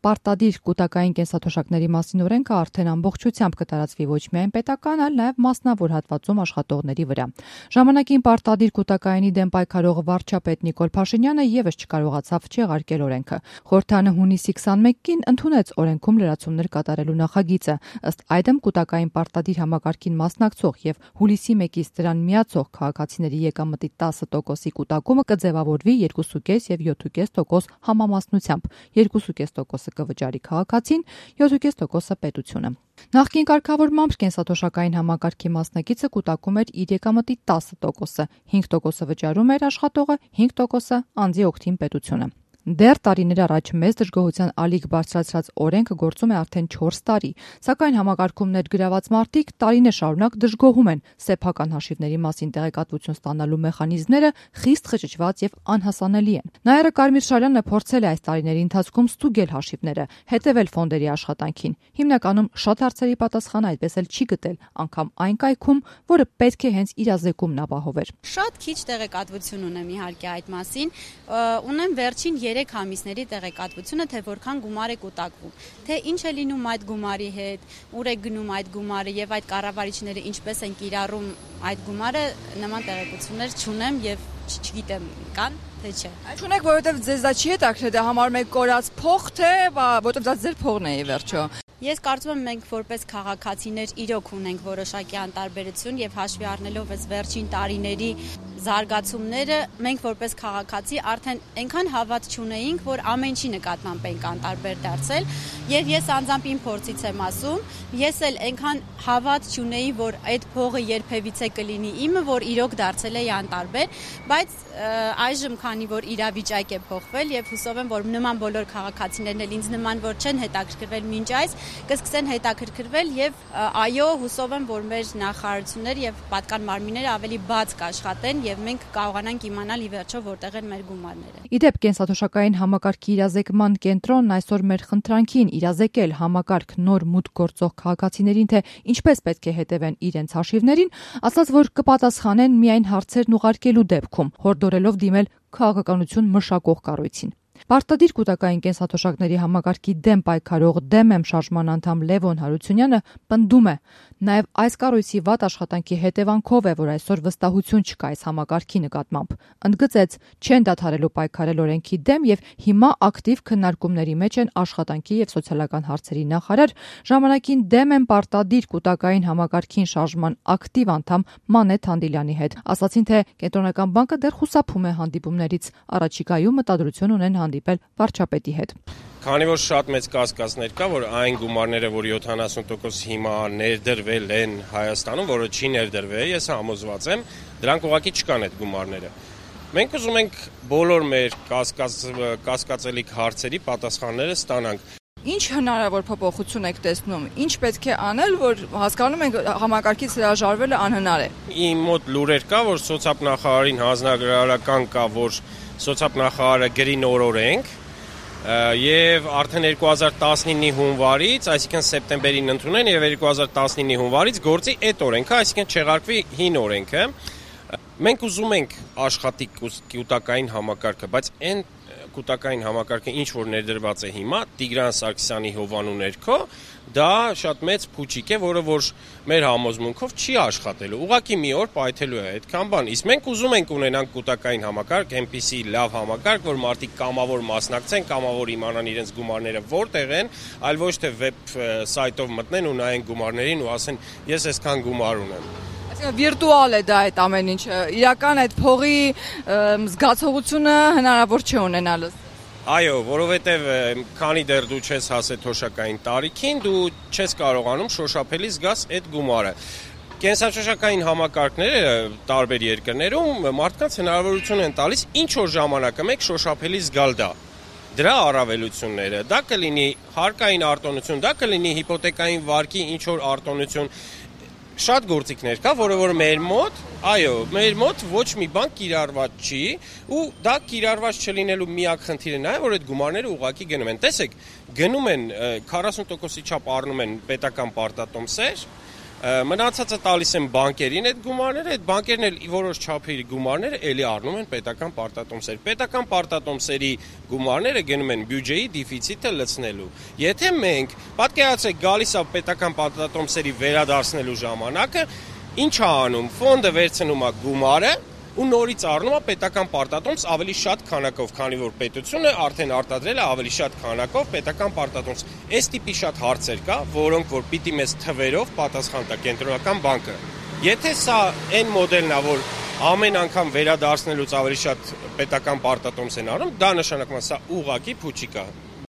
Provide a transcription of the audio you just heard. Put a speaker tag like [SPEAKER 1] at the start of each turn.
[SPEAKER 1] պարտադիր կൂտակային կենսաթոշակների մասին օրենքը արդեն ամբողջությամբ կտարածվի ոչ միայն պետական, այլ նաև մասնավոր հատվածում աշխատողների վրա։ Ժամանակին պարտադիր կൂտակայինի դեմ պայքարող վարչապետ Նիկոլ Փաշինյանը եւս չկարողացավ չեղարկել օրենքը։ Խորհրդարանը հունիսի 21-ին ընդունեց օրենքում լրացումներ կատարելու նախագիծը։ Ըստ այդմ կൂտակային պարտադիր համակարգին մասնակցող եւ հուլիսի 1-ից դրան միացող քաղաքացիների եկամտի 10%-ի կൂտակումը կձևավորվի 2.5 եւ 7.5% համամասնությամբ, 2.5%-ը կվճարի քաղաքացին, 7.5%-ը պետությունը։ Նախկին կարգավորմամբ կենսաթոշակային համակարգի մասնակիցը կൂտակում էր իր եկամտի 10%-ը, 5%-ը վճարում էր աշխատողը, 5%-ը անձի օգտին պետությունը։ Դեռ տարիներ առաջ մեծ դժգոհության ալիք բարձրացրած օրենքը գործում է արդեն 4 տարի, սակայն համակարգում ներգրաված մարդիկ տարիներ շարունակ դժգոհում են սեփական հաշիվների մասին տեղեկատվություն ստանալու մեխանիզմները խիստ խճճված եւ անհասանելի են։ Նայարը Կարմիր Շարյանը փորձել է այս տարիների ընթացքում ստուգել հաշիվները, հետևել ֆոնդերի աշխատանքին։ Հիմնականում շատ հարցերի պատասխան այդպես էլ չի գտել, անգամ այն կայքում, որը պետք է հենց իրազեկումն ապահովեր։
[SPEAKER 2] Շատ քիչ տեղեկատվություն ունեմ իհարկե այդ մասին, ունեմ վերջին 3 ամիսների տեղեկատվությունը, թե որքան գումար է կուտակվում, թե ինչ է լինում այդ գումարի հետ, ուր է գնում այդ գումարը եւ այդ կառավարիչները ինչպես են կիրառում այդ գումարը, նման տեղեկություններ չունեմ եւ չգիտեմ կան թե չէ։
[SPEAKER 3] Չունեք, որովհետեւ ձեզ դա չի հետաքրքրել, դա համարում եք կորած փող, թե որովհետեւ դա ձեր փողն է ի վերջո։
[SPEAKER 2] Ես կարծում եմ մենք որպես քաղաքացիներ իրոք ունենք որոշակի անտարբերություն եւ հաշվի առնելով այս վերջին տարիների զարգացումները, մենք որպես քաղաքացի արդեն այնքան հավատ չունեինք, որ ամեն ինչի նկատմամբ ենք անտարբեր դարձել եւ ես անձամբ իմ փորձից եմ ասում, ես էլ այնքան հավատ չունեի, որ այդ փողը երբևիցե կլինի իմը, որ իրոք դարձել է անտարբեր, բայց այժմ քանի որ իրավիճակ է փոխվել եւ հուսով եմ, որ նման բոլոր քաղաքացիներն էլ ինձ նման որ չեն հետաքրքրվել մինչ այս կսկսեն հետաքրքրվել եւ այո, հուսով եմ, որ մեր նախարարությունները եւ պատկան մարմինները ավելի բաց կաշխատեն եւ մենք կարողանանք իմանալ ի վերջո որտեղ են մեր գումարները։
[SPEAKER 1] Իդեպ կենսաթոշակային համակարգի իրազեկման կենտրոնն այսօր մեր խնդրանքին իրազեկել համակարգ նոր մուտք գործող քաղաքացիներին, թե ինչպես պետք է հետևեն իրենց հաշիվներին, ասաց, որ կպատասխանեն միայն հարցերն ուղարկելու դեպքում, հորդորելով դիմել քաղաքականություն մշակող կառույցին։ Պարտադիր կൂտակային կենսաթոշակների համակարգի դեմ պայքարող դեմ շարժման անդամ Լևոն Հարությունյանը պնդում է, նաև այս կառույցի վատ աշխատանքի հետևանքով է, որ այսօր վստահություն չկա այս համակարգի նկատմամբ։ Ընդգծեց, չեն դադարելու պայքարել օրենքի դեմ եւ հիմա ակտիվ քննարկումների մեջ են աշխատանքի եւ սոցիալական հարցերի նախարար, ժամանակին դեմ են պարտադիր կൂտակային համակարգին շարժման ակտիվ անդամ Մանե Թանդիլյանի հետ։ Ասացին, թե Կենտրոնական բանկը դեռ խուսափում է հանդիպումներից, առաջիկայում մտադրություն ունեն հանդիպել վարչապետի հետ։
[SPEAKER 4] Քանի որ շատ մեծ կասկածներ կա, որ այն գումարները, որ 70% հիմա ներդրվել են Հայաստանում, որը չի ներդրվել, ես համոզված եմ, դրանք ուղղակի չկան այդ գումարները։ Մենք ուզում ենք բոլոր մեր կասկածելի հարցերի պատասխանները ստանանք։
[SPEAKER 3] Ինչ հնարավոր փոփոխություն եք տեսնում, ինչ պետք է անել, որ հասկանում ենք համակարգից հրաժարվելը անհնար է։
[SPEAKER 4] Իմ մոտ լուրեր կա, որ սոցիալնախարարին հանձնարարական կա, որ սոցիալնախարարը գրի նոր օրենք եւ արդեն 2019-ի հունվարից, այսինքն սեպտեմբերին ընդունեն եւ 2019-ի հունվարից գործի այդ օրենքը, այսինքն չեղարկվի հին օրենքը։ Մենք ուզում ենք աշխատի կൂտակային համակարգը, բայց այն կൂտակային համակարգը ինչ որ ներդրված է հիմա Տիգրան Սարգսյանի հովանու ներքո, դա շատ մեծ փուչիկ է, որը որ մեր համոզմունքով չի աշխատելու։ Ուղղակի մի օր պայթելու է այդքան բան։ Իսկ մենք ուզում ենք ունենանք կൂտակային համակարգ, այնպիսի լավ համակարգ, որ մարդիկ կամավոր մասնակցեն, կամավոր իմանան իրենց գումարները որտեղ են, այլ ոչ թե վեբ սայթով մտնեն ու նայեն գումարներին ու ասեն ես այսքան գումար ունեմ։
[SPEAKER 3] Վիրտուալ է դա այդ ամեն ինչը, իրական այդ փողի զգացողությունը հնարավոր չէ ունենալս։
[SPEAKER 4] Այո, որովհետև քանի դեռ դու չես հասել թոշակային տարիքին, դու չես կարողանում շոշափելի զգաս այդ գումարը։ Կենսաթոշակային համակարգները տարբեր երկրներում մարդկանց հնարավորություն են տալիս ինչ որ ժամանակը մեկ շոշափելի զգալ դա։ Դրա առավելությունները, դա կլինի հարկային արտոնություն, դա կլինի հիպոթեկային վարկի ինչ որ արտոնություն։ Շատ գործիքներ կա, որը որ մեր մոտ ոչ մի բան կիրառված չի ու դա կիրառված չլինելու միակ խնդիրը նա է, որ այդ գումարները ուղղակի գնում են։ Տեսեք, գնում են 40%-ի չափ առնում են պետական պարտատոմսեր, Մնացածը տալիս են բանկերին այդ գումարները, այդ բանկերն էլ որոշ չափի գումարները էլի առնում են պետական պարտատոմսեր։ Պետական պարտատոմսերի գումարները գնում են բյուջեի դեֆիցիտը լցնելու։ Եթե մենք պատկերացրեք գալիս է պետական պարտատոմսերի վերադարձնելու ժամանակը, ինչ է անում, ֆոնդը վերցնում է գումարը ու նորից առնում է պետական պարտատոմս ավելի շատ քանակով, քանի որ պետությունը արդեն արտադրել է ավելի շատ քանակով պետական պարտատոմս։ Այս տիպի շատ հարցեր կա, որոնք որ պիտի մեզ թվերով պատասխան տա կենտրոնական բանկը։ Եթե սա այն մոդելն է, որ ամեն անգամ վերադարձնելուց ավելի շատ պետական պարտատոմս են առնում, դա նշանակում է սա ուղղակի փուչիկ է։